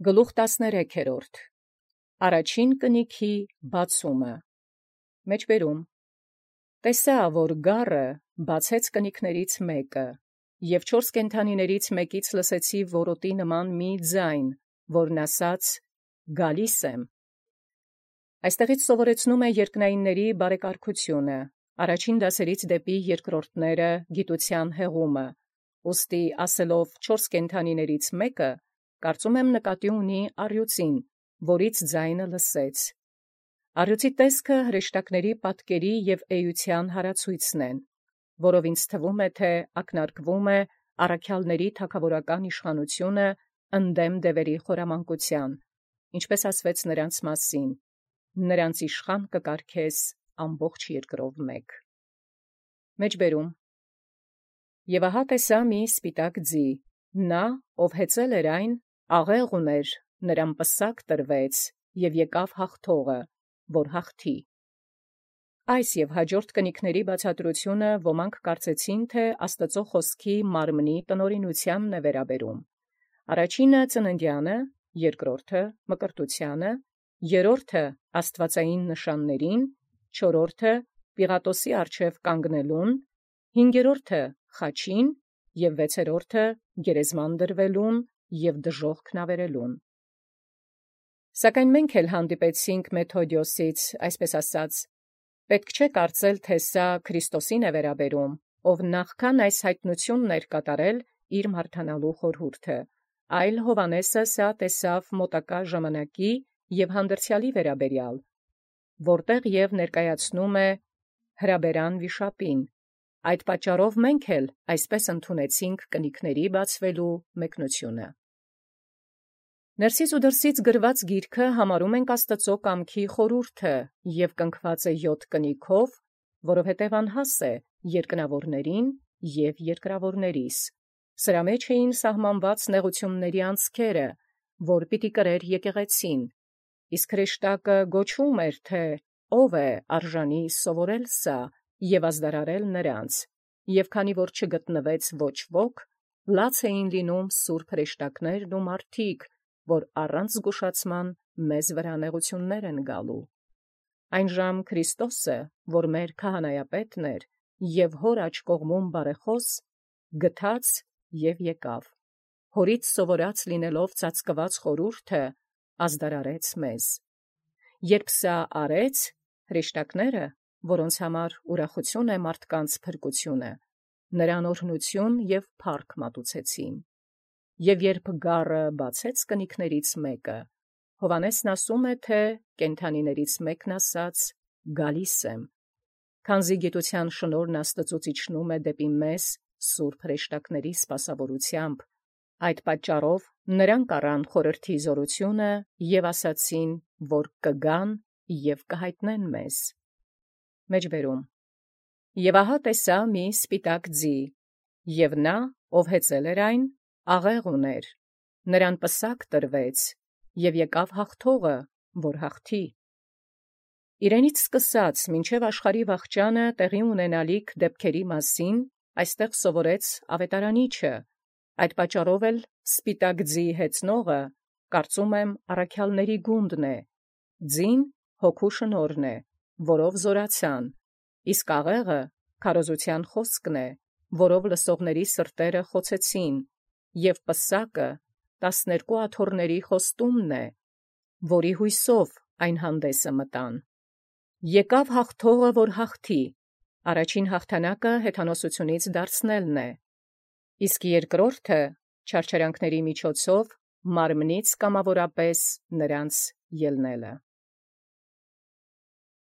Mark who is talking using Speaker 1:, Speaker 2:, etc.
Speaker 1: Գլուխ 13 Առաջին կնիքի բացումը Մեջբերում տեսա, որ գառը բացեց կնիքներից մեկը, և 4 կենդանիներից մեկից լսեցի որոտի նման մի ձայն, որն ասաց. «Գալիս եմ»։ Այստեղից սովորեցնում է երկնայինների բարեկարգությունը, առաջին դասերից դեպի երկրորդները գիտության հեղումը, ուստի ասելով 4 կենդանիներից մեկը, կարծում եմ նկատի ունի առյուծին, որից ձայնը լսեց։ Առյուծի տեսքը հրեշտակների պատկերի և էության հարացույցն են, որով ինձ թվում է, թե ակնարկվում է առաքյալների թագավորական իշխանությունը ընդդեմ դևերի խորամանկության, ինչպես ասվեց նրանց մասին. «Նրանց իշխան կկարգես ամբողջ երկրով մեկ»։ Մեջբերում Եվ ահա տեսա մի սպիտակ ձի, նա, ով հեծել էր այն, աղեղ ուներ, նրան պսակ տրվեց, և եկավ հաղթողը, որ հաղթի։ Այս և հաջորդ կնիքների բացատրությունը ոմանք կարծեցին, թե Աստծո խոսքի մարմնի տնօրինությանն է վերաբերում. առաջինը ծննդյանը, երկրորդը մկրտությանը, երրորդը աստվածային նշաններին, չորրորդը Պիղատոսի առջև կանգնելուն, հինգերորդը խաչին և վեցերորդը գերեզման դրվելուն և դժոխքն ավերելուն։ Սակայն մենք էլ հանդիպեցինք Մեթոդիոսից, այսպես ասած, պետք չէ կարծել, թե սա Քրիստոսին է վերաբերում, ով նախքան այս հայտնությունն էր կատարել իր մարդանալու խորհուրդը, այլ Հովհաննեսը սա տեսավ մոտակա ժամանակի և հանդերձյալի վերաբերյալ, որտեղ և ներկայացնում է հրաբերան վիշապին։ Այդ պատճառով մենք էլ այսպես ընդունեցինք կնիքների բացվելու մեկնությունը։ Ներսից ու դրսից գրված գիրքը համարում ենք Աստծո կամքի խորհուրդը և կնքված է 7 կնիքով, որովհետև անհաս է երկնավորներին և երկրավորներիս։ Սրա մեջ էին սահմանված նեղությունների անցքերը, որ պիտի կրեր եկեղեցին, իսկ հրեշտակը գոչում էր, թե ով է արժանի սովորել սա և ազդարարել նրանց, և քանի որ չգտնվեց ոչ ոք, լաց էին լինում սուրբ հրեշտակներն ու մարդիկ, որ առանց զգուշացման մեզ վրա նեղություններ են գալու։ Այնժամ Քրիստոսը, որ մեր քահանայապետն էր և հոր աջ կողմում բարեխոս, գթաց և եկավ, հորից սովորած լինելով ծածկված խորհուրդը, ազդարարեց մեզ։ Երբ սա արեց, հրեշտակները, որոնց համար ուրախություն է մարդկանց փրկությունը, նրան օրհնություն և փառք մատուցեցին։ Եվ երբ գառը բացեց կնիքներից մեկը, Հովհաննեսն ասում է, թե կենդանիներից մեկն ասաց. «Գալիս եմ», քանզի գիտության շնորհն Աստծուց իջնում է դեպի մեզ սուրբ հրեշտակների սպասավորությամբ, այդ պատճառով նրանք առան խորհրդի զորությունը և ասացին, որ կգան և կհայտնեն մեզ։ Մեջբերում Եվ ահա տեսա մի սպիտակ ձի, և նա, ով հեծել էր այն, աղեղ ուներ, նրան պսակ տրվեց, և եկավ հաղթողը, որ հաղթի։ Իրենից սկսած մինչև աշխարհի վախճանը տեղի ունենալիք դեպքերի մասին այստեղ սովորեց ավետարանիչը, այդ պատճառով էլ սպիտակ ձի հեծնողը, կարծում եմ, առաքյալների գունդն է, ձին հոգու շնորհն է, որով զորացան, իսկ աղեղը քարոզության խոսքն է, որով լսողների սրտերը խոցեցին, և պսակը 12 աթոռների խոստումն է, որի հույսով այն հանդեսը մտան։ Եկավ հաղթողը, որ հաղթի, առաջին հաղթանակը հեթանոսությունից դարձնելն է, իսկ երկրորդը չարչարանքների միջոցով մարմնից կամավորապես նրանց ելնելը։